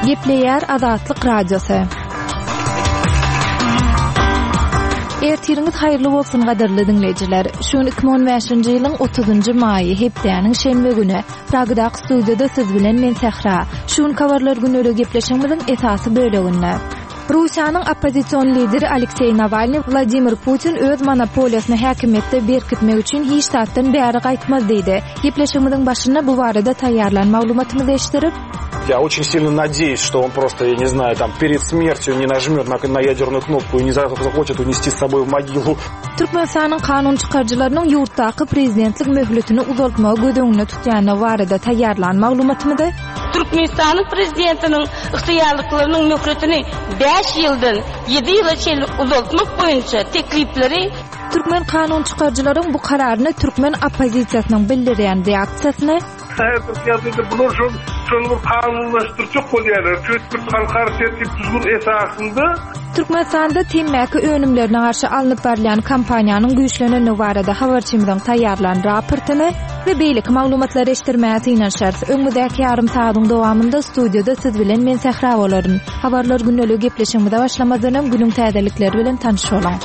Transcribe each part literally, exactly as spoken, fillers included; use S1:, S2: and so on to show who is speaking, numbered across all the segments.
S1: Gepleýär Azatlyk Radiosy. Ertiriňiz haýyrly bolsun gadyrly diňleýjiler. Şu gün iki müň on bäşinji ýylyň otuzynjy maýy, hepdäniň şenbe güni. Pragadaky studiýada siz bilen men Sähra. Şu gün habarlar günleri gepleşigimiziň esasy böleginde. Russiýanyň oppozision lideri Alekseý Nawalny Wladimir Putin öz monopoliýasyny häkimiýetde berkitmek üçin hiç zatdan bäri gaýtmaz diýdi. Gepleşigimiziň başynda bu barada taýýarlan maglumatymyzy eşitdirip,
S2: Я очень сильно надеюсь, что он просто, я не знаю, там перед смертью не нажмет на, на ядерную кнопку и не захочет унести с собой в могилу.
S1: Türkmenistanyň kanun çykaryjylarynyň ýurtdaky prezidentlik möhletini uzaltmagy göz öňünde tutýany barada taýýarlan maglumatymyzy
S3: Türkmenistanyň prezidentiniň ygtyýarlyklarynyň möhletini bäş ýyldan ýedi ýyla çenli uzaltmak boýunça teklipleri
S1: Türkmen kanun çykaryjylaryň bu kararyny türkmen oppozisiýasynyň bildirýän reaksiýasyny
S4: Häzirki bular şol şol bir kanunlaşdyrjak bolýarlar. Çünki halkara tertip düzgün esasynda
S1: Türkmenistanda temmäki önümlerine garşy alnyp barylýan kampaniýanyň güýçleneni barada habarçymyzyň taýýarlan raportyny we beýleki maglumatlary eşitdirmäge synanyşarys. Öňümizdäki ýarym sagatyň dowamynda studiýada siz bilen men Sähra bolaryn. Habarlar gündelik gepleşigimize başlamazdan öň günüň täzelikleri bilen tanyş boluň.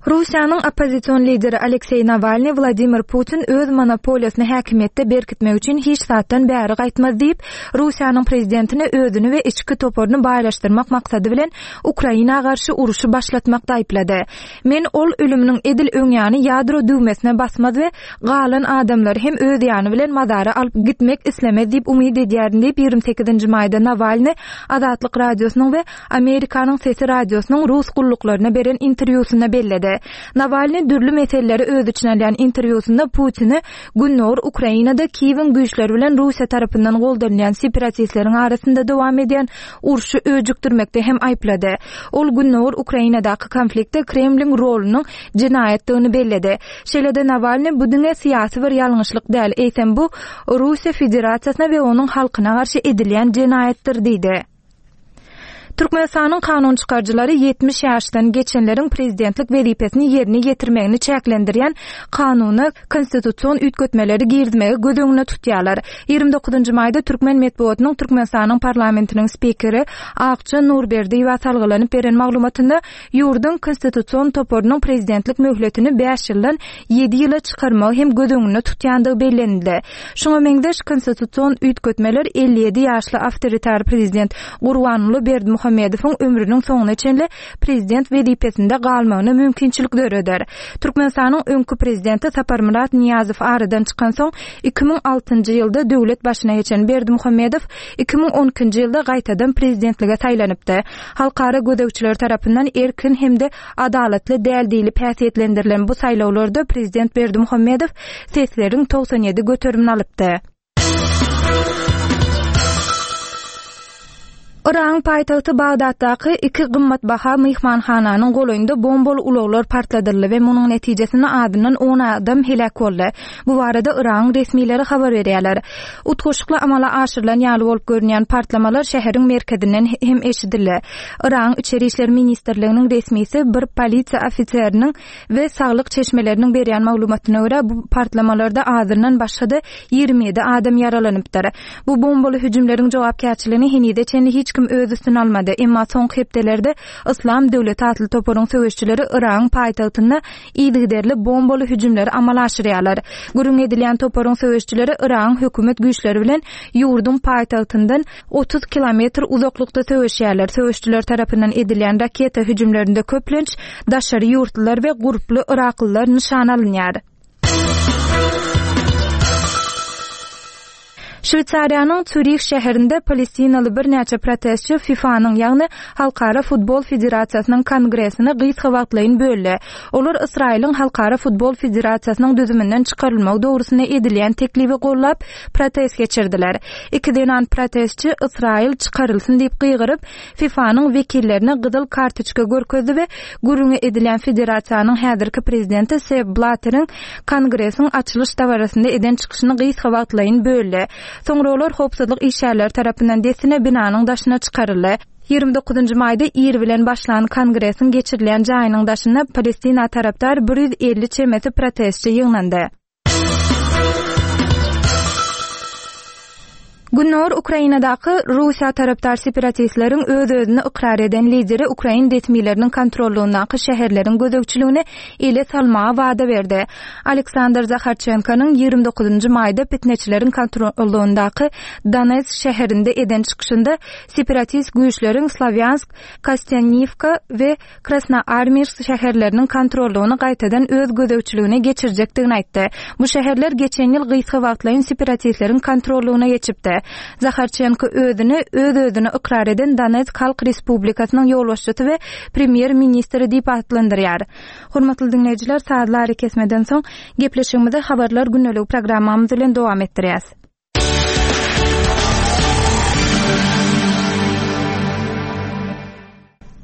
S1: Russiýanyň oppozision lideri Alekseý Nawalny Wladimir Putin öz monopoliýasyny häkimiýetde berkitmek üçin hiç zatdan bäri gaýtmaz diýip, Russiýanyň prezidentine özüni we içki toparyny baýlaşdyrmak maksady bilen Ukraina garşy uruşy başlatmakda aýyplady. Men ol ölüminiň edil öň ýany ýadro düwmesine basmaz we galan adamlary hem öz ýany bilen mazara alyp gitmek islemez diýip umyt edýärin diýip ýigrimi sekizinji maýda Nawalny Azatlyk radiosynyň we Amerikanyň Sesi radiosynyň rus gulluklaryna beren interwýusynda belledi. Nawalny dürli meseleleri öz içine alýan interwýusynda Putini Gündogar Ukrainada Kiýewiň güýçleri bilen Russiýa tarapyndan goldanylýan separatistleriň arasynda dowam edýän urşy öjükdirmekde hem aýyplady. Ol Gündogar Ukrainadaky konfliktde Kremliň rolunyň jenaýatdygyny belledi. Şeýle-de Nawalny bu diňe syýasy bir ýalňyşlyk däl, eýsem bu Russiýa Federasiýasyna we onuň halkyna garşy edilýän jenaýatdyr diýdi. Türkmenistanyň kanun çykaryjylary ýetmiş ýaşdan geçenleriň prezidentlik wezipesini ýerine ýetirmegini çäklendirýän kanuna konstitusion üýtgetmeleri girizmegi göz öňüne tutýarlar. Ýigrimi dokuzynjy maýda Türkmen metbugatynyň Türkmenistanyň parlamentiniň spikeri Akja Nurberdiýewa salgylanyp beren maglumatynda ýurduň konstitusion toparynyň prezidentlik möhletini bäş ýyldan ýedi ýyla çykarmagy hem göz öňüne tutýandygy bellenildi. Şoňa meňzeş konstitusion üýtgetmeler elli ýedi ýaşly awtoritar prezident Gurbanguly Berdimuhamedowyň ömrüniň soňuna çenli prezident wezipesinde galmagyna mümkinçilik döreder. Türkmenistanyň öňki prezidenti Saparmyrat Niýazow aradan çykan soň iki müň altynjy ýylda döwlet başyna geçen Berdimuhamedow iki müň on ikinji ýylda gaýtadan prezidentlige saýlanypdy. Halkara gözegçiler tarapyndan erkin hem-de adalatly däl diýlip häsiýetlendirilen bu saýlawlarda prezident Berdimuhamedow sesleriň togsan ýedi göterimini alypdy. Yragyň paýtagty Bagdatdaky iki gymmatbaha myhmanhananyň golaýynda bombaly ulaglar partladyldy we munuň netijesinde adyndan on adam heläk boldy. Bu barada Yragyň resmileri habar berýärler. Utgaşykly amala aşyrylan ýaly bolup görünýän partlamalar şäheriň merkezinden hem eşidildi. Yragyň Içeri işler ministrliginiň resmisi bir polisiýa ofiseriniň we saglyk çeşmeleriniň berýän maglumatyna görä bu partlamalarda azyndan başga-da ýigrimi ýedi adam ýaralanypdyr. Bu bombaly hüjümleriň jogapkärçiligini henize çenli hiç kim öz üstüne almady. Emma soňky hepdelerde Islam döwleti atly toparyň söweşçileri Yragyň paýtagtynda yzygiderli bombaly hüjümleri amala aşyrýarlar. Gürrüň edilýän toparyň söweşçileri Yragyň hökümet güýçleri bilen ýurduň paýtagtyndan otuz kilometr uzaklykda söweşýärler. Söweşçiler tarapyndan edilýän raketa hüjümlerinde köplenç daşary ýurtlular we gurply Yraklylar nyşan alynýar. Şweýsariýanyň Zürih şäherinde Palestinaly birnäçe protestçi FIFA-nyň, ýagny Halkara futbol federasiýasynyň kongresini gysga wagtlaýyn böldi. Olar Ysraýylyň Halkara futbol federasiýasynyň düzüminden çykarylmagy dogrusynda edilýän teklibi gollap protest geçirdiler. Iki zenan protestçi Ysraýyl çykarylsyn diýip gygyryp, FIFA-nyň wekillerine gyzyl kartoçka görkezdi we gürrüňi edilýän federasiýanyň häzirki prezidenti Sepp Blatteriň kongresiň açylyş dabarasynda eden çykyşyny gysga wagtlaýyn böldi. Soňra olar howpsuzlyk işgärleri tarapyndan dessine binanyň daşyna çykaryldy. Ýigrimi dokuzynjy maýda ir bilen başlan kongresiň geçirilýän jaýynyň daşynda Palestina tarapdar bir ýüz elli çemesi protestçi ýygnandy. Gündogar Ukrainadaky Russiýa tarapdar separatistleriň öz-özüni ykrar eden lideri ukrain resmileriniň kontrollugyndaky şäherleriň gözegçiligini ele salmaga wada berdi. Aleksandr Zaharçenkonyň ýigrimi dokuzynjy maýda pitneçileriň kontrollugyndaky Donetsk şäherinde eden çykyşynda separatist güýçleriň Slawýansk, Kostýanniwka we Krasnoarmeýsk şäherleriniň kontrollugyny gaýtadan öz gözegçiligine geçirjekdigini aýtdy. Bu şäherler geçen ýyl gysga wagtlaýyn separatistleriň kontrollugyna geçipdi. Zaharçenko özüni öz-özüni ykrar eden Donetsk Halk Respublikasynyň ýolbaşçysy we premýer-ministri diýip atlandyrýar. Hormatly diňleýjiler, sazly arakesmeden soň gepleşigimizi Habarlar gündeligi programmamyz bilen dowam etdirýäs.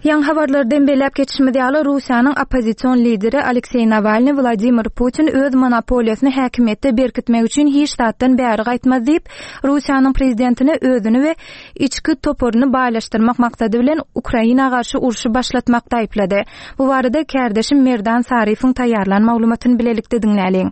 S1: Ýaňy habarlardan belläp geçişimiz ýaly, Russiýanyň oppozision lideri Alekseý Nawalny Wladimir Putin öz monopoliýasyny häkimiýetde berkitmek üçin hiç zatdan bäri gaýtmaz diýip, Russiýanyň prezidentine özüni we içki toparyny baýlaşdyrmak maksady bilen Ukraina garşy urşy başlatmakda aýyplady. Bu barada kärdeşim Merdan Saryfyň taýýarlan maglumatyny bilelikde diňläliň.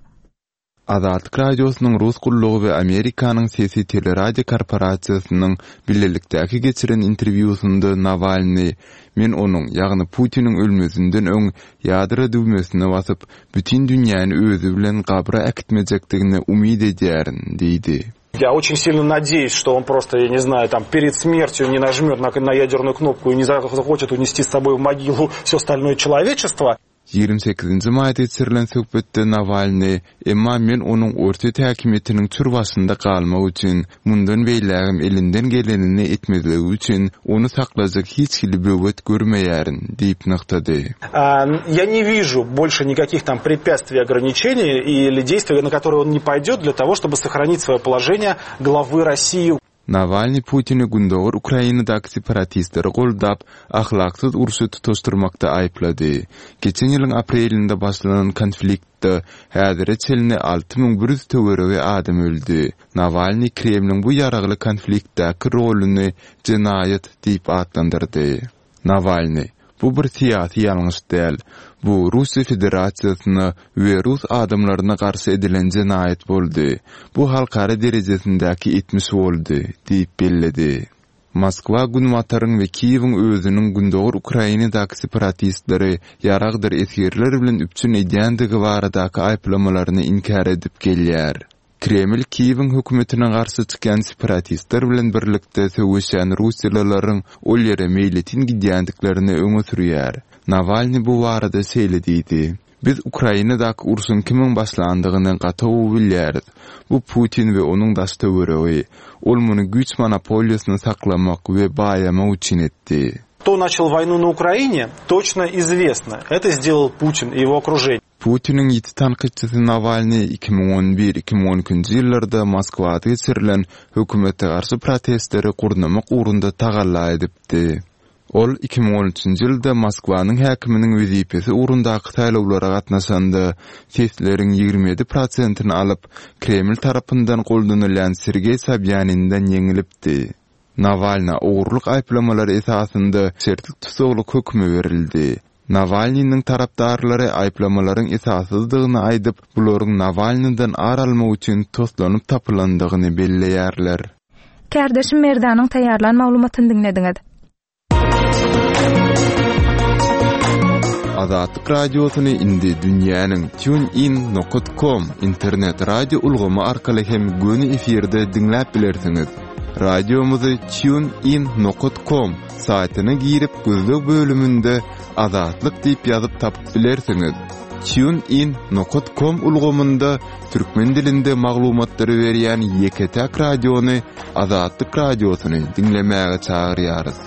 S5: Azatlyk Radiosynyň Rus gullugy we Amerikanyň Sesi teleradio korporasiýasynyň bilelikdäki geçiren interwýusynda Nawalny Men onuň, ýagny Putiniň ölmezinden öň ýadro düwmesine basyp, bütin dünýäni özi bilen gabra äkitmejekdigine umyt edýärin diýdi.
S2: Я очень сильно надеюсь, что он просто, я не знаю, там перед смертью не нажмет на, на ядерную кнопку и не захочет унести с собой в могилу все остальное человечество.
S5: Ýigrimi sekizinji maýda geçirilen söhbetde Nawalny, Emma men onuň Orsýet häkimiýetiniň çür başynda galmak üçin, mundan beýlägem elinden gelenini etmezligi üçin ony saklajak hiç hili böwet görmeýärin diýip nygtady.
S2: Я не вижу больше никаких там препятствий, ограничений или действий, на которые он не пойдет для того, чтобы сохранить свое положение главы России.
S5: Nawalny Putini Gündogar Ukrainadaky separatistleri goldap, ahlaksyz urşy tutaşdyrmakda aýyplady. Geçen ýylyň aprelinde başlanan konfliktde häzire çenli alty müň bir ýüz töweregi adam öldi. Nawalny Kremliň bu ýaragly konfliktdäki roluny jenaýat diýip atlandyrdy. Nawalny, Bu bir syýasy ýalňyş däl. Bu Russiýa Federasiýasyna we rus adamlaryna garşy edilen jenaýat boldy. Bu halkara derejesindäki etmiş boldy diýip belledi. Moskwa Günbataryň we Kiýewiň özüniň Gündogar Ukrainadaky separatistleri ýaragdyr esgerler bilen üpjün edýändigi baradaky aýyplamalaryny inkär edip gelýär. Kreml Kiýewiň hökümetine garşy çykýan separatistler bilen birlikde söweşýän russiýalylaryň ol ýere meýletin gidýändiklerini öňe sürýär. Nawalny bu barada şeýle diýdi: Biz Ukrainadaky urşuň kimiň başlandygyny gaty gowy bilýäris. Bu Putin we onuň daş töweregi. Ol muny güýç monopoliýasyny saklamak we baýamak üçin etdi.
S2: Кто начал войну на Украине, точно известно. Это сделал Путин и его окружение.
S5: Putiniň ýiti tankytçysy Nawalny iki müň on bir iki müň on ikinji ýyllarda Moskwada geçirilen hökümete garşy protestleri gurnamak ugrunda tagalla edipdi. Ol iki müň on üçünji ýylda Moskwanyň häkiminiň wezipesi ugrundaky saýlawlara gatnaşanda sesleriň ýigrimi ýedi prosentini alyp, Kreml tarapyndan goldanylýan Sergeý Sobýaninden ýeňilipdi. Nawalna ogurlyk aýyplamalary esasynda şertli tussaglyk hökümi berildi. Nawalnynyň tarapdarlary aýyplamalaryň esassyzdygyny aýdyp, bularyň Nawalnydan ar almak üçin toslanyp tapylandygyny belleýärler.
S1: Kärdeşim Merdanyň taýýarlan maglumatyny diňlediňiz.
S5: Azatlyk radiosyny indi dünýäniň TuneIn nokta com internet radio ulgamy arkaly hem göni efirde diňläp bilersiňiz. Radiomyzy TuneIn nokta com saýtyna girip gözleg bölüminde Azatlyk diýip ýazyp tapyp bilersiňiz. TuneIn nokta com ulgamynda türkmen dilinde maglumatlary berýän ýeke-täk radiony Azatlyk radiosyny diňlemäge çagyrýarys.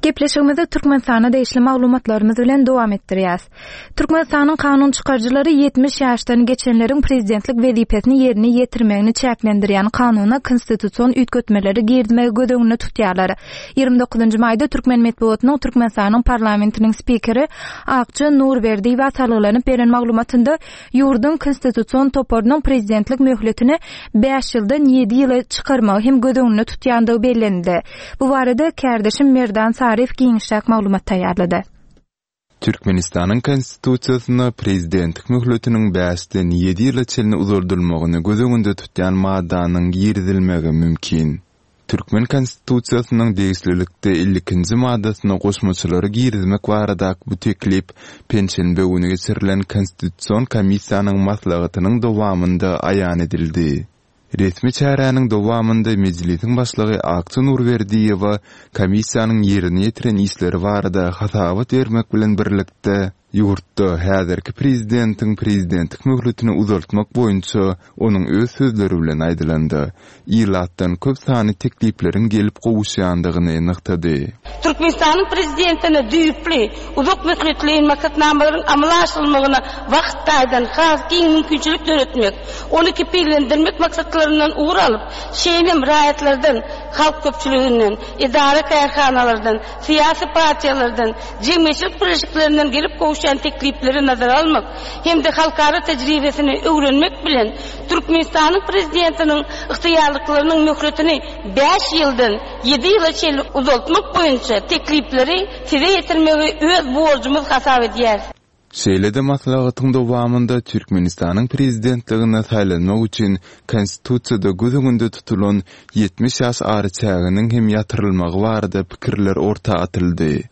S1: Gepleşigimizi Türkmenistana degişli maglumatlarymyz bilen dowam etdirýäs. Türkmenistanyň kanun çykaryjylary ýetmiş ýaşdan geçenleriň prezidentlik wezipesini ýerine ýetirmegini çäklendirýän kanuna konstitusion üýtgetmeleri girizmegi göz öňünde tutýarlar. Ýigrimi dokuzynjy maýda Türkmen metbugatynyň Türkmenistanyň parlamentiniň spikeri Akja Nurberdiýewa salgylanyp beren maglumatynda ýurduň konstitusion toparynyň prezidentlik möhletini bäş ýyldan ýedi ýyla çykarmagy hem göz öňünde tutýandygy bellendi. Bu barada kärdeşim Merdan Saryf giňişräk maglumat taýýarlady.
S5: Türkmenistanyň Konstitusiýasynda prezidentlik möhletiniň bäşden ýedi ýyla çenli uzaldylmagyny göz öňünde tutýan maddanyň girizilmegi mümkin. Türkmen Konstitusiýasynyň degişlilikde elli ikinji maddasyna goşmaçalary girizmek baradaky bu teklip penşenbe güni geçirilen Konstitusion komissiýanyň maslahatynyň dowamynda aýan edildi. Resmi çäräniň dowamynda mejlisiň başlygy Akça Nurberdiýewa komissiýanyň ýerine ýetiren işleri barada hasabat bermek bilen birlikde ýurtda häzirki prezidentiň prezidentlik möhletini uzaltmak boýunça onuň öz sözleri bilen aýdylanda ilatdan köp sany teklipleriň gelip gowuşýandygyny nygtady.
S3: Türkmenistanyň prezidentine düýpli uzak möhletleýin maksatnamalaryň amala aşyrylmagyna wagt taýdan has giň mümkinçilik döretmek, ony kepillendirmek maksatlaryndan ugur alyp, şeýle hem raýatlardan, halk köpçüliginden, edara kärhanalardan, syýasy partiýalardan, jemgyýetçilik birleşiklerinden gelip gowuşýan teklipleri nazara almak hem-de halkara tejribesini öwrenmek bilen Türkmenistanyň prezidentiniň ygtyýarlyklarynyň möhletini bäş ýyldan ýedi ýyla çenli uzaltmak boýunça teklipleri size ýetirmegi öz borjumyz hasap edýäris.
S5: Şeýle-de maslahatyň dowamynda Türkmenistanyň prezidentligine saýlanmak üçin Konstitusiýada göz öňünde tutulan ýetmiş ýaş araçäginiň hem ýatyrylmagy barada pikirler orta atyldy.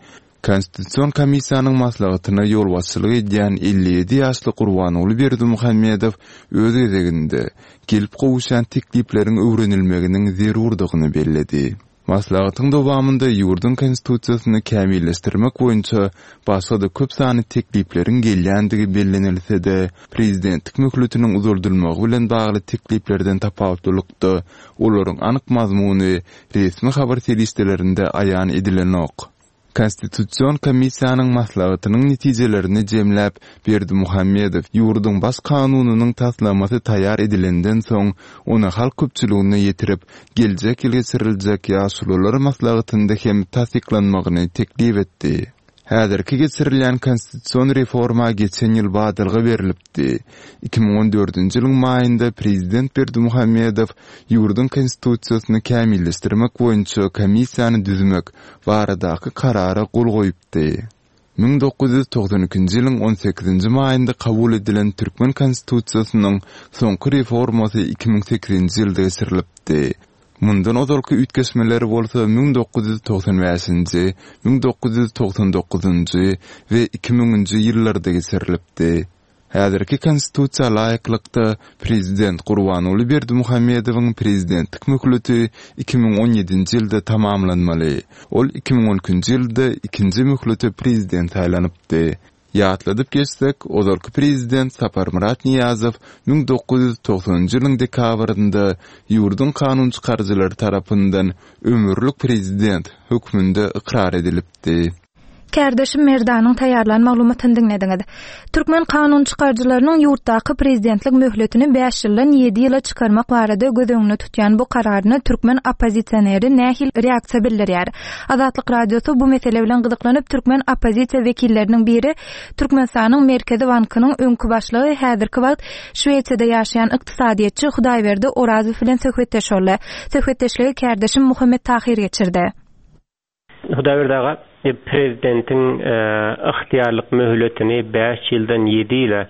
S5: Konstitusion komissiýanyň maslahatyna ýolbaşçylyk edýän elli ýedi ýaşly Gurbanguly Berdimuhamedow öz gezeginde gelip gowuşýan teklipleriň öwrenilmeginiň zerurdygyny belledi. Maslahatyň dowamynda ýurduň konstitusiýasyny kämilleşdirmek boýunça başga-da köp sany teklipleriň gelýändigi bellenilse-de, prezidentlik möhletiniň uzaldylmagy bilen bagly tekliplerden tapawutlylykda olaryň anyk mazmuny resmi habar serişdelerinde aýan edilenok. Konstitusion komissiýanyň maslahatynyň netijelerini jemläp, Berdimuhamedow ýurduň baş kanunynyň taslamasy taýýar edilenden soň, ony halk köpçüligine ýetirip, geljek ýyl geçiriljek ýaşulular maslahatynda hem tassyklanmagyny teklip etdi. Häzirki geçirilýän konstitusion reforma geçen ýyl badalga berlipdi. iki müň on dördünji ýylyň maýynda prezident Berdimuhamedow ýurduň konstitusiýasyny kämilleşdirmek boýunça komissiýany düzmek baradaky karara gol goýupdy. Müň dokuz ýüz togsan ikinji ýylyň on sekizinji maýynda kabul edilen Türkmen konstitusiýasynyň soňky reformasy iki müň sekizinji ýylda geçirilipdi. Mundan ozalky üýtgeşmeler bolsa müň dokuz ýüz togsan bäşinji, müň dokuz ýüz togsan dokuzynjy we iki müňünji ýyllarda geçirilipdi. Häzirki konstitusiýa laýyklykda prezident Gurbanguly Berdimuhamedowyň prezidentlik möhleti iki müň on ýedinji ýylda tamamlanmaly. Ol iki müň on ikinji ýylda ikinji möhlete prezident saýlanypdy. Ýatladyp geçsek, ozalky prezident Saparmyrat Niýazow müň dokuz ýüz togsanynjy ýylyň dekabrynda ýurduň kanun çykaryjylary tarapyndan ömürlik prezident hökmünde ykrar edilipdi.
S1: Kärdeşim Merdanyň taýýarlan maglumatyny diňlediňiz. Türkmen kanun çykaryjylarynyň ýurtdaky prezidentlik möhletini bäş ýyldan ýedi ýyla çykarmak barada göz öňünde tutýan bu kararyna türkmen oppozisioneri nähili reaksiýa bildirýär? Azatlyk Radiosy bu mesele bilen gyzyklanyp türkmen oppozisiýa wekilleriniň biri Türkmenistanyň Merkezi Bankynyň öňki başlygy häzirki wagt Şwesiýada ýaşaýan ykdysadyýetçi Hudaýberdi Orazow bilen söhbetdeş boldy. Söhbetdeşligi kärdeşim Muhammet Tahir geçirdi.
S6: Hudaýberdi aga, prezidentiň ygtyýarlyk möhletini bäş ýyldan ýedi ýyla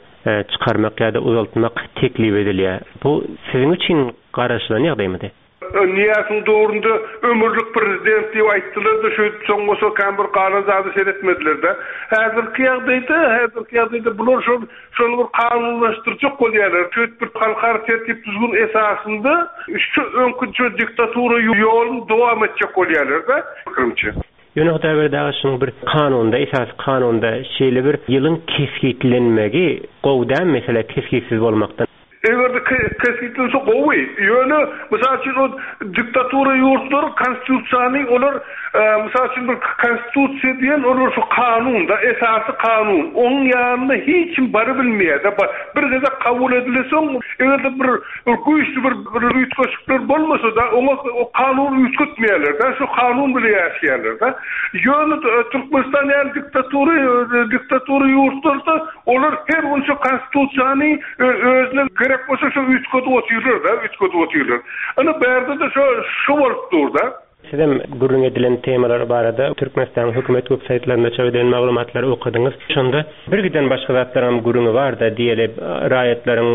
S6: çykarmak ýa-da uzaltmak teklip edilýär. Bu siziň üçin garaşylan ýagdaýmydy?
S4: Niýazyň döwründe ömürlik prezident diýip aýtdylar-da, şu soň bolsa kan bir galan zady seretmediler-de. Häzirki ýagdaýda, häzirki ýagdaýda bular şol, şol bir kanunlaşdyrjak bolýarlar. Şu bir halkara tertip düzgün esasynda şu öňki şu diktatura ýoluny dowam etjek bolýarlar-da, pikirimçe.
S6: Ýöne Hudaýberdi aga, şunuň bir kanunda, esasy kanunda şeýle bir ýylyň kesgitlenmegi gowy däl mesele kesgitsiz bolmakdan.
S4: Eger de kesgitlense gowy. Ýöne mysal üçin o diktatura ýurtlary konstitusiýany olar, mysal üçin bir konstitusiýa diýen olar şu kanun da, esasy kanun. Onuň ýanyna hiç kim baryp bilmeýär-de. Bir gezek kabul edilse, eger de bir, bir güýçli bir, bir üýtgeşikler bolmasa da, oňa o kanun üýtgetmeýärler-de, şu kanun bile ýaşaýarlar-da. Ýöne Türkmenistan ýaly diktatura, diktatura ýurtlarda olar her gün şu konstitusiýany özüne gerek bolsa şu üýtgedip otyrlar-da, üýtgedip otyrlar. Ana bärde de şu, şu bolup dur-da.
S6: Sizem gürrüň edilen temalar barada Türkmenistanyň hökümet web saýtlarynda çap edilen maglumatlary okadyňyz. Şonda bir giden başga zatlaryň gürrüňi bar-da, diýeli raýatlaryň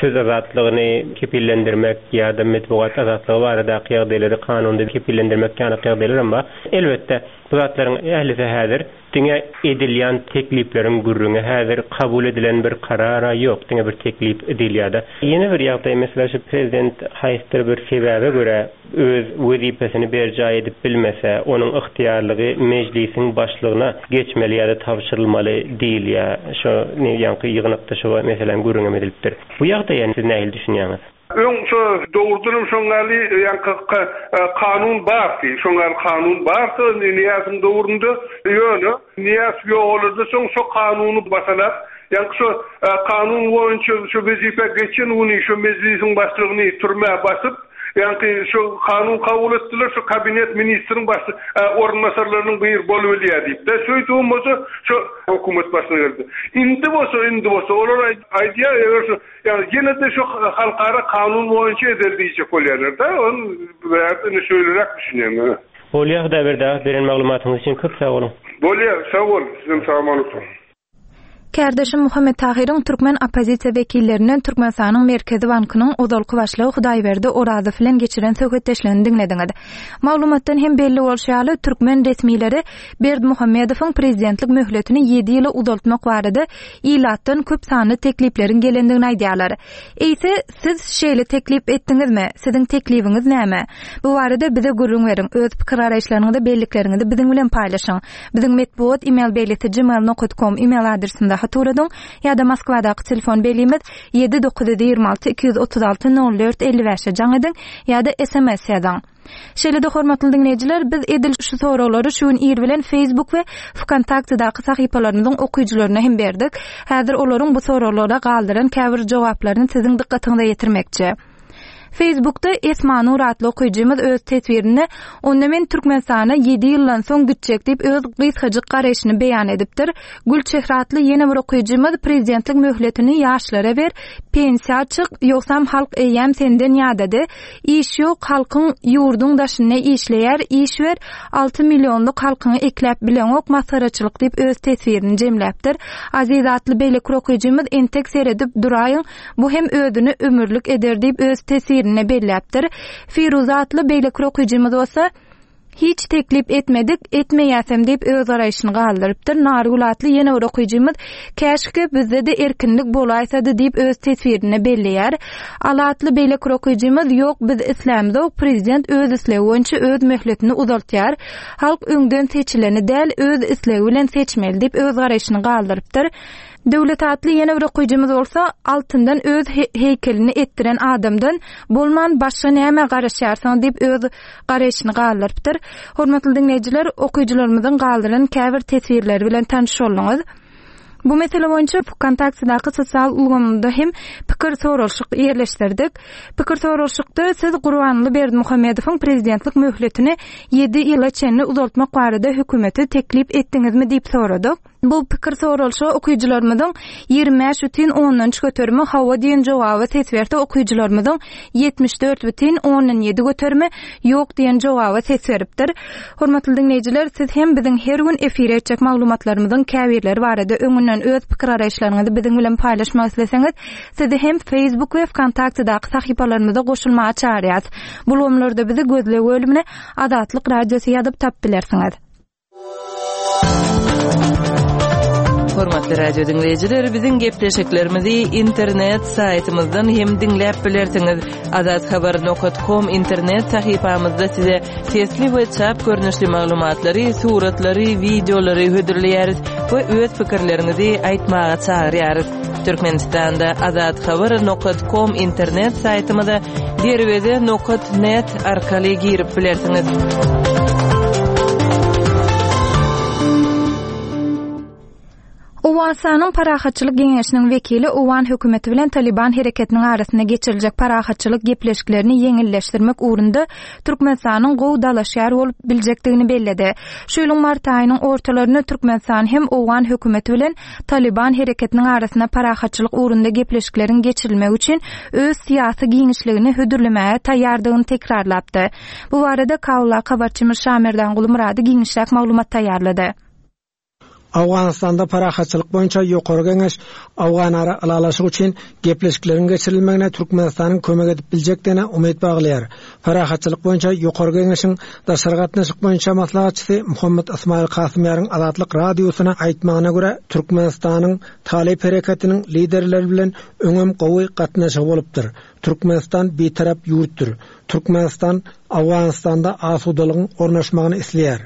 S6: söz azatlygyny kepillendirmek ýa-da metbugat azatlygy baradaky ýagdaýlary kanunda kepillendirmek ýaly ýagdaýlar hem bar. Elbetde, bu zatlaryň ählisi häzir diňe edilýän teklipleriň gürrüňi, häzir kabul edilen bir karara ýok, diňe bir teklip edilýär. Ýene bir ýagdaý, mesela şu prezident haýsydyr bir sebäbe görä öz wezipesini berjaý edip bilmese, onuň ygtyýarlygy mejlisiň başlygyna geçmeli ýa-da tabşyrylmaly diýilýär. Şu ýaňky ýygnakda şu meselem gürrüň edilipdir. Bu ýagdaýa siz nähili düşünýäňiz?
S4: Öň şu dogrudanam şoňňaly ýaňky kanun bardy. Şoňňaly kanun bardy, Niýazyň döwründe ýöne Niýaz ýogaldy, soň şu kanuny basalap, ýaňky şu kanun boýunça şu wezipe geçen güni şu mejlisiň başlygyny türmä basyp, ýaňky şu kanun kabul etdiler, şu kabinet ministriň baş orunbasarlarynyň bir bolup bilýär diýip. De şeýdip bolsa şu hökümet başyna geldi. Indi bolsa, indi bolsa olar aýdýar, eger şu ýani ýene de şu halkara kanun boýunça edildi diýjek bolýarlar da, on indi şeýleräk düşünýän.
S6: Bolýar, Hudaýberdi aga, beren maglumatyňyz üçin köp sag boluň.
S4: Bolýar, sag bol, sizem sag boluň.
S1: Kärdeşim Muhammet Tahyryň türkmen oppozisiýa wekillerinden Türkmenistanyň Merkezi Bankynyň ozalky başlygy Hudaýberdi Orazow bilen geçiren söhbetdeşligini diňlediňiz. Maglumatdan hem belli bolşy ýaly, türkmen resmileri Berdimuhamedowyň prezidentlik möhletini ýedi ýyla uzaltmak barada ilatdan köp sanly teklipleriň gelendigini aýdýarlar. Eýse, siz şeýle teklip etdiňizmi? Siziň teklibiňiz näme? Bu barada bize gürrüň beriň. Öz pikir garaýyşlaryňyzy, bellikleriňizi biziň bilen paýlaşyň. Biziň metbugat e-mail belgisi gmail nokta com e-mail adresinde hat ugradyň ýa-da Moskwadaky telefon belgimiz ýedi dokuz ýüz ýigrimi alty iki ýüz otuz alty nol dört elli bäşe jaň ediň ýa-da S M S ýazyň. Şeýle-de hormatly diňleýjiler, biz edil şu soraglary şu gün ir bilen Facebook we Vkontaktedaky sahypalarymyzyň okyjylaryna hem berdik. Häzir olaryň bu soraglara galdyran käbir jogaplaryny siziň dykgatyňyza ýetirmekçi. Facebookda Esmanur atly okyjymyz öz teswirinde onda men Türkmenistana ýedi ýyldan soň gitjek diýip öz gysgajyk garaýşyny beýan edipdir. Gülçehre atly ýene bir okyjymyz prezidentlik möhletini ýaşlara ber, pensiýa çyk, ýogsam halk eýýäm senden ýadady. Iş ýok, halkyň ýurduň daşynda işleýär, iş ber, alty millionlyk halkyňy ekläp bileňok, masgaraçylyk diýip öz teswirini jemläpdir. Aziz atly beýleki okyjymyz entek seredip duraýyň, bu hem özüni ömürlik eder diýip öz teswirini belläpdir. Firuz atly beýleki okyjymyz bolsa hiç teklip etmedik, etmeýäsem diýip öz garaýşyny galdyrypdyr. Nargül atly ýene bir okyjymyz käşke bizde de erkinlik bolaýsady diýip öz teswirini belleýär. Ala atly beýleki okyjymyz ýok, biz islämzok, prezident öz islegi boýunça öz möhletini uzaltýar. Halk öňden seçileni däl, öz islegi bilen seçmeli diýip öz garaýşyny galdyrypdyr. Döwlet atly ýene bir okyjymyz bolsa altyndan öz he-, heýkelini etdiren adamdan bolman başga näme garaşýarsyň diýip öz garaýşyny galdyrypdyr. Hormatly diňleýjiler, okyjylarymyzyň galdyran käbir teswirleri bilen tanyş bolduňyz. Bu mesele boýunça Vkontaktedaky sosial ulgamynda hem pikir soralyşyk ýerleşdirdik. Pikir soralyşykda siz Gurbanguly Berdimuhamedowyň prezidentlik möhletini ýedi ýyla çenli uzaltmak barada hökümete teklip etdiňizmi diýip soradyk. Bu pikir soralyşyga okyjylarymyzyň ýigrimi bäş bütin ondan üç göterimi hawa diýen jogaba ses berse, okyjylarymyzyň ýetmiş dört bütin ondan ýedi göterimi ýok diýen jogaba ses beripdir. Hormatly diňleýjiler, siz hem biziň her gün efire etjek maglumatlarymyzyň käbirleri barada öňünden öz pikir garaýyşlaryňyzy biziň bilen paýlaşmak isleseňiz, sizi hem Facebook we Vkontaktedaky sahypalarymyza goşulmaga çagyrýarys. Bu ulgamlarda bizi gözleg bölümine Azatlyk Radiosy ýazyp tap bilersiňiz.
S7: Hormatly radio dinleýjiler, biziň gepleşiklerimizi internet saýtymyzdan hem diňläp bilersiňiz. Azathabar nokta com internet sahypamyzda size sesli we çap görnüşli maglumatlary, suratlary, wideolary hödürleýäris we öz pikirleriňizi aýtmaga çagyrýarys. Türkmenistanda azathabar nokta com internet saýtymyza derweze nokta net arkaly girip bilersiňiz.
S1: Owganystanyň Owganystanyň Parahatçylyk geňeşiniň wekili owgan hökümeti bilen Talyban hereketiniň arasynda geçiriljek parahatçylyk gepleşiklerini ýeňilleşdirmek ugrunda Türkmenistanyň gowy dalaşgär bolup biljekdigini belledi. Şu ýylyň mart aýynyň ortalarynda Türkmenistan hem owgan hökümeti bilen Talyban hereketiniň arasynda parahatçylyk ugrunda gepleşikleriň geçirilmegi üçin öz syýasy giňişligini hödürlemäge taýýardygyny tekrarlapdy. Bu barada Kabuldaky habarçymyz Şamerdan Gulumyrady giňişräk maglumat taýýarlady.
S8: Owganystanda parahatçylyk boýunça Ýokary Geňeş Owganara ylalaşyk üçin gepleşikleriň geçirilmegine Türkmenistanyň kömek edip biljekdigine umyt baglaýar. Parahatçylyk boýunça Ýokary Geňeşiň daşary gatnaşyk boýunça maslahatçysy Muhammet Ysmaýyl Kasymýaryň Azatlyk Radiosyna aýtmagyna görä, Türkmenistanyň Talyp hereketiniň liderleri bilen öňem gowy gatnaşygy bolupdyr. Türkmenistan bitarap ýurtdur. Türkmenistan Owganystanda asudalygyň ornaşmagyny isleýär.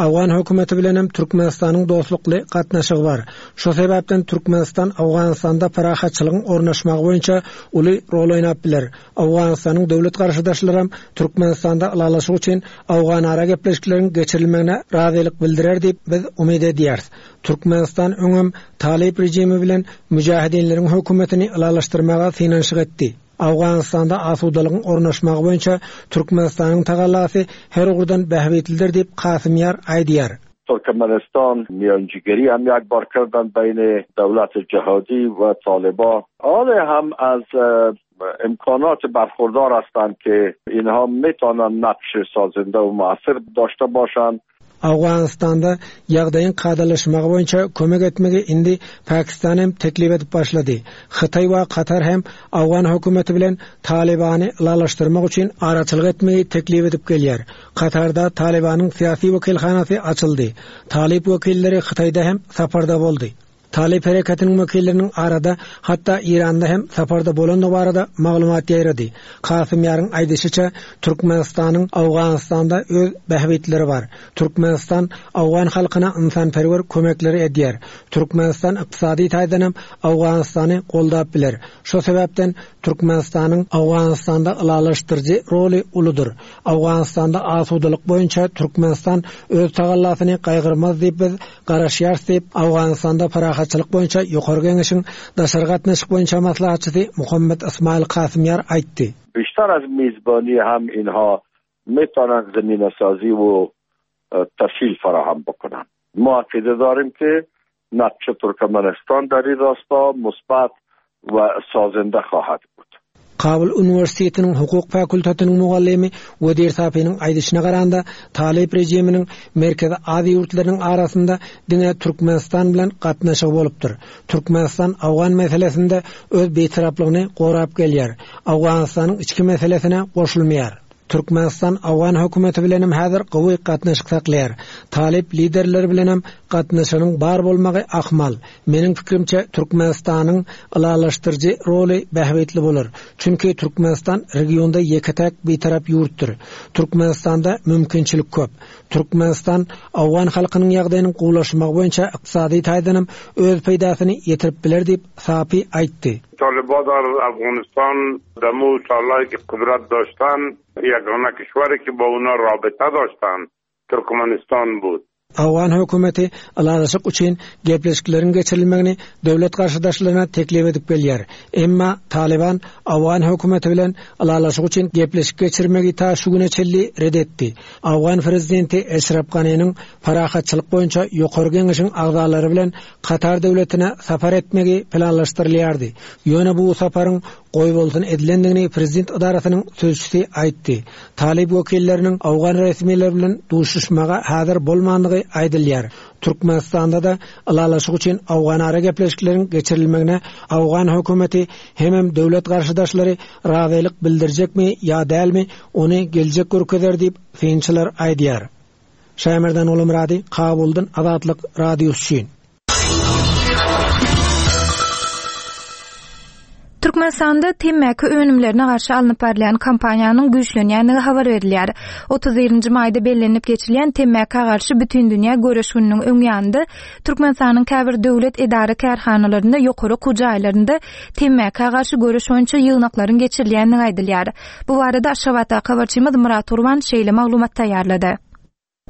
S8: Owgan hökümeti bilenem Türkmenistanyň dostlukly gatnaşygy bar. Şo sebäpden Türkmenistan Owganystanda parahatçylygyň ornaşmagy boýunça uly rol oýnap biler. Owganystanyň döwlet garşydaşlaram Türkmenistanda ylalaşyk üçin Owganara gepleşikleriň geçirilmegine razylyk bildirer diýip biz umyt edýäris. Türkmenistan öňem Talyp režimi bilen müjahidinleriň hökümetini ylalaşdyrmaga synanyşyk etdi. Owganystanda asudalygyň ornaşmagy boýunça Türkmenistanyň tagallasy her ugurdan bähbitlidir diýip Kasymýar aýdýar.
S9: Türkmenistan میانجیگری هم یک بار کردن بین دولت جهادی و طالبان. حالا هم از امکانات برخوردار هستند که اینها میتونن نقش سازنده و مؤثر داشته باشند.
S8: Owganystanda ýagdaýyň kadalaşmagy boýunça kömek etmegi indi Pakistan hem teklip edip başlady. Hytaý we Katar hem Owgan hökümeti bilen Talibany ylalaşdyrmak üçin araçylyk etmegi teklip edip gelýär. Katarda Talibanyň syýasy wekilhanasy açyldy. Talyp wekilleri Hytaýda hem saparda boldy. Talyp hereketiniň wekilleriniň arada hatda Iranda hem saparda bolandygy barada maglumat ýaýrady. Kasymýaryň aýdyşyça Türkmenistanyň Owganystanda öz bähbitleri bar. Türkmenistan Owgan halkyna ynsanperwer kömekleri edýär. Türkmenistan ykdysady taýdan hem Owganystany goldap biler. Şo sebäpden Türkmenistanyň Owganystanda ylalaşdyryjy roly uludyr. Owganystanda asudalyk boýunça Türkmenistan öz tagallasyny gaýgyrmaz diýip biz garaşýarys diýip Owganystanda parahatçylyk boýunça Ýokary Geňeşiň daşary gatnaşyk boýunça maslahatçysy Muhammet Ysmaýyl Kasymýar aýtdy.
S9: بیشتر از میزبانی هم اینها میتونن زمینه سازی و تسهیل فراهم بکنن. ما عقیده داریم که نقش ترکمنستان در این راستا مثبت و سازنده خواهد بود.
S8: Kabul Üniversitetiniň hukuk fakultetiniň mugallymy Wedir Sapiniň aýdyşyna garanda Talyp rejiminiň Merkezi Aziýa ýurtlarynyň arasynda diňe Türkmenistan bilen gatnaşygy bolupdyr. Türkmenistan Owgan meselesinde öz bitaraplygyny gorap gelýär. Owganystanyň içki meselesine goşulmaýar. Türkmenistan Owgan hökümeti bilenem häzir gowy gatnaşyk saklaýar. Talyp liderleri bilenem gatnaşygyň bar bolmagy ahmal. Meniň pikrimçe Türkmenistanyň ylalaşdyryjy roly bähbitli bolar. Çünki Türkmenistan regionda ýeke-täk bitarap ýurtdur. Türkmenistanda mümkinçilik köp. Türkmenistan Owgan halkynyň ýagdaýynyň gowulaşmagy boýunça ykdysady taýdanam öz peýdasyny ýetirip biler diýip Sapi aýtdy.
S10: طالبان در افغانستان دمو سالهایی که قدرت داشتن یگانه کشوری که با اونا رابطه داشتن Türkmenistan بود.
S8: Owgan hökümeti ylalaşyk üçin gepleşikleriň geçirilmegini döwlet garşydaşlaryna teklip edip gelýär. Emma Taliban Owgan hökümeti bilen ylalaşyk üçin gepleşik geçirmegi ta şu güne çenli red etdi. Owgan prezidenti Eşref Ganiniň parahatçylyk boýunça Ýokary Geňeşiň agzalary bilen Katar döwletine sapar etmegi planlaşdyrylýardy. Ýöne bu saparyň goýbolsun edilendigini prezident idarasynyň sözçüsi aýtdy. Talyp wekilleriniň Owgan resmileri bilen duşuşmaga häzir bolmandygy aýdylýar. Türkmenistanda da ylalaşyk üçin Owganara gepleşikleriň geçirilmegine Owgan hökümeti hemem döwlet garşydaşlary razylyk bildirjekmi ýa dälmi ony geljek görkezer diýip synçylar aýdýar. Şaýmerdan Ulumyrady, Kabuldan Azatlyk Radiosy üçin.
S1: Türkmenistanda temmäki önümlerine garşy alnyp barylýan kampaniýanyň güýçlenýändigi habar berilýär. Otuz birinji maýda bellenip geçilýän temmäkä garşy bütindünýä göreş gününiň öň ýanynda Türkmenistanyň käbir döwlet edara kärhanalarynda ýokary okuw jaýlarynda temmäkä garşy göreş boýunça ýygnaklaryň geçirilýändigi aýdylýar. Bu barada Aşgabatdaky habarçymyz Murat Gurban şeýle maglumat taýýarlady.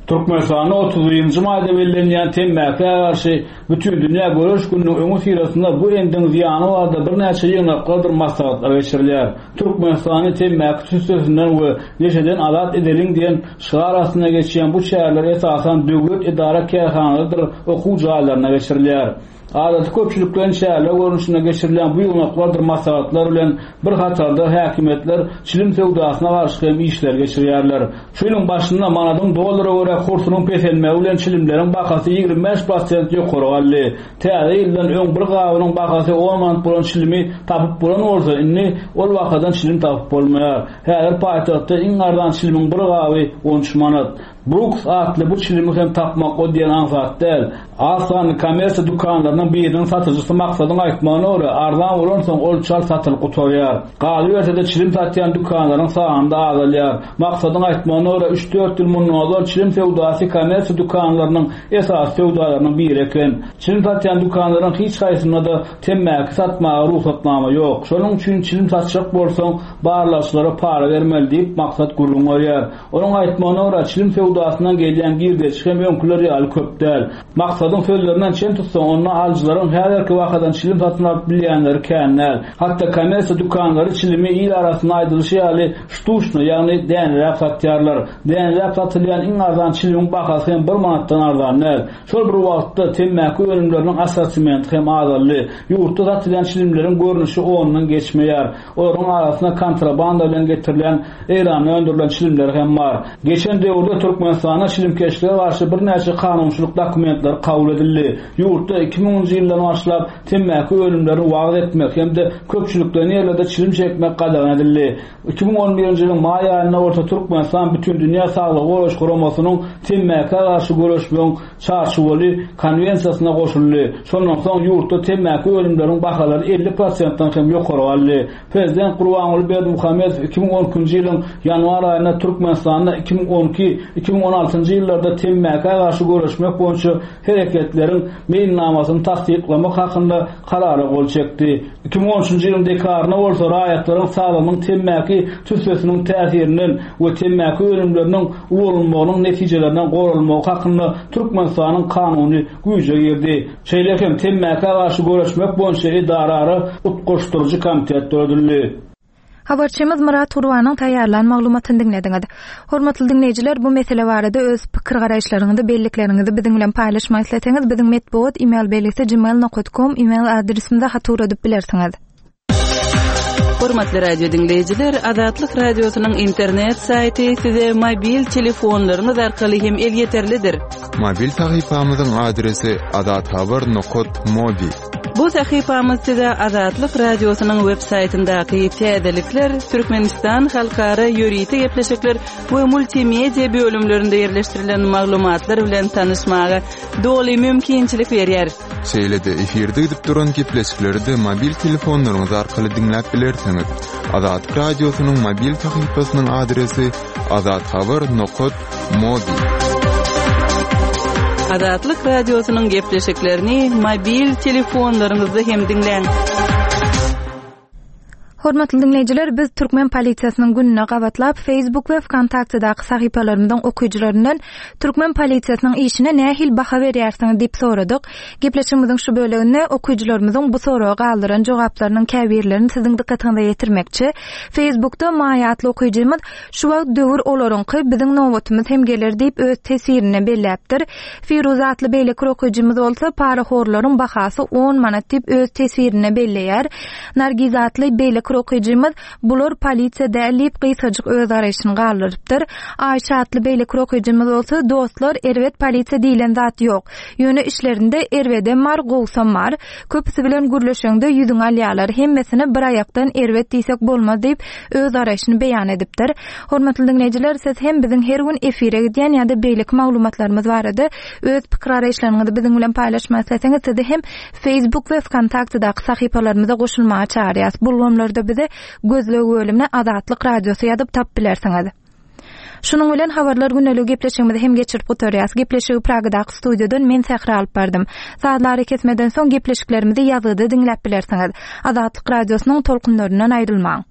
S11: Türkmenistanda otuz birinji maýda bellenýän temmäkä garşy Bütindünýä göreş gününiň öňüsyrasynda bu endigiň zyýany barada birnäçe ýygnaklardyr maslahatlar geçirilýär. Türkmenistany temmäki tüssesinden we neşeden azat edeliň diýen şygar astynda geçýän bu çäreler esasan döwlet edara kärhanalarydyr okuw jaýlarynda geçirilýär. Adaty köpçülikleýin çäreler görnüşinde geçirilýän bu ýygnaklardyr maslahatlar bilen bir hatarda häkimiýetler çilim söwdasyna garşy hem işler geçirýärler. Şu ýylyň başynda manadyň dollara görä kursunyň peselmegi bilen çilimleriň bahasy ýigrimi bäş prosent ýokary galdy. Täze ýyldan öň bir gabynyň bahasy on manat bolan çilimi tapyp bolan bolsa, indi ol bahadan çilim tapyp bolmaýar. Häzir paýtagtda iň arzan çilimiň bir gaby on üç manat. Brooks atly bu çilimi hem tapmak o diýen aňsat däl. Az sanly kommersiýa dükanlarynyň biriniň satyjysy Maksadyň aýtmagyna görä, arzan bolansoň ol çal satylyp gutarýar. Galyberse-de çilim satýan dükanlaryň sany da azalýar. Maksadyň aýtmagyna görä, üç-dört ýyl mundan ozal çilim söwdasy kommersiýa dükanlarynyň esasy söwdalarynyň biri eken. Çilim satýan dükanlaryň hiç haýsynda-da temmäki satmaga rugsatnama ýok. Şonuň üçin çilim satjak bolsaň, barlagçylara para bermeli diýip Maksat gürrüň berýär. Onuň aýtmagyna görä, çilim söwdasyndan gelýän girdeji hem öňküler ýaly köp däl. Maksadyň sözlerinden çen tutsaň, onda alyjylaryň häzirki wakadan çilim satyn alyp bilýänleri kän däl. Hatda kommersiýa dükanlary çilimi il arasynda aýdylyşy ýaly ştuşny, ýagny däneläp satýarlar. Däneläp satylýan iň arzan çilimiň bahasy hem bir manatdan arzan däl. Şol bir wagtda temmäki önümleriniň assortimenti hem azaldy. Ýurtda satylýan çilimleriň görnüşi ondan geçmeýär. Olaryň arasynda kontrabanda bilen getirilen Eýranda öndürilen çilimler hem bar. Geçen döwürde Türkmenistanda çilimkeşlige garşy birnäçe kanunçylyk dokumentleri kabul edildi. Ýurtda iki müňünji ýyldan başlap temmäki önümlerini wagyz etmek hem-de köpçülikleýin ýerlerde çilim çekmek gadagan edildi. iki müň on birinji ýylyň maý aýynda bolsa Türkmenistan Bütindünýä Saglygy Goraýyş Guramasynyň temmäkä garşy göreşmegiň çarçuwaly konwensiýasyna goşuldy. Şondan soň ýurtda temmäki önümleriniň bahalary elli prosentden hem ýokary galdy. Prezident Gurbanguly Berdimuhamedow iki müň on ikinji ýylyň ýanwar aýynda Türkmenistanda iki müň on iki iki müň on altynjy ýyllarda temmäkä garşy göreşmek boýunça hereketleriň meýilnamasyny tassyklamak hakynda karara gol çekdi. iki müň on üçünji ýylyň dekabrynda bolsa raýatlaryň saglygynyň temmäki tüssesiniň täsirinden we temmäki önümleriniň ulanylmagynyň netijelerinden goralmagy hakynda Türkmenistanyň kanuny güýje girdi. Şeýle hem temmäkä garşy göreşmek boýunça edarara utgaşdyryjy komitet döredildi.
S1: Habarçymyz Murat Gurbanyň taýýarlan maglumatyny diňlediňiz. Hormatly diňleýjiler, bu mesele barada öz pikir garaýyşlaryňyzy, bellikleriňizi biziň bilen paýlaşmak isleseňiz, biziň metbugat e-mail belgisi gmail nokta com e-mail adresimize hat ugradyp bilersiňiz.
S7: Hormatly radio diňleýjiler, Azatlyk radiosynyň internet saýty size mobil telefonlaryňyz arkaly hem elýeterlidir.
S5: Mobil sahypamyzyň adresi azathabar nokta mobi.
S7: Bu sahypamyz size Azatlyk radiosynyň web saýtyndaky täzelikler, Türkmenistan halkara ýörite gepleşikler we multimedia bölümlerinde ýerleşdirilen maglumatlar bilen tanyşmaga doly mümkinçilik berýär.
S5: Şeýle-de efirde gidip duran gepleşikleri de mobil telefonlaryňyz arkaly diňläp bilersiňiz. Azatlyk radiosynyň mobil sahypasynyň adresi azathabar nokta mobi.
S7: Azatlyk radiosynyň gepleşiklerini mobil telefonlaryňyzda hem diňläň.
S1: Hormatly diňleýjiler, biz Türkmen polisiýasynyň gününe gabatlap Facebook we VKontaktedaky sahypalarymyzyň okyjylaryndan Türkmen polisiýasynyň işine nähili baha berýärsiňiz diýip soradyk. Gepleşigimiziň şu böleginde okyjylarymyzyň bu soraga galdyran jogaplarynyň käbirlerini siziň dykgatyňyza ýetirmekçi. Facebookda Maýa atly okyjymyz şu wagt döwür olaryňky biziň nobatymyz hem geler diýip öz tesirini belläpdir. Firuz atly beýleki okyjymyz bolsa parahorlaryň bahasy on manat diýip öz tesirini belleýär. Nargiz atly beýleki okyjymyz bular polisiýa däl diýip gysgajyk öz garaýşyny galdyrypdyr. Aýşa atly beýleki okyjymyz bolsa dostlar erbet polisiýa diýlen zat ýok. Ýöne işlerinde erbedem bar, gowsam bar. Köpüsi bilen gürleşeňde ýüzüňi alýarlar. Hemmesine bir aýakdan erbet diýsek bolmaz diýip öz garaýşyny beýan edipdir. Hormatly diňleýjiler, siz hem biziň her gün efire gidýän ýa-da beýleki maglumatlarymyz barada öz pikir garaýyşlaryňyzy biziň bilen paýlaşmak isleseňiz, sizi hem Facebook we VKontaktedaky sahypalarymyza goşulmaga çagyrýarys. Bu ulgamlarda bize gözleg bölümine Azatlyk radiosy ýazyp tap bilersiňiz. Şunuň bilen habarlar gündelik gepleşigimizi hem geçirip gutarýarys. Gepleşigi Pragadaky studiýadan men Sähra alyp bardym. Sazlary kesmeden soň gepleşiklerimizi ýazgyda diňläp bilersiňiz. Azatlyk radiosynyň tolkunlaryndan aýrylmaň.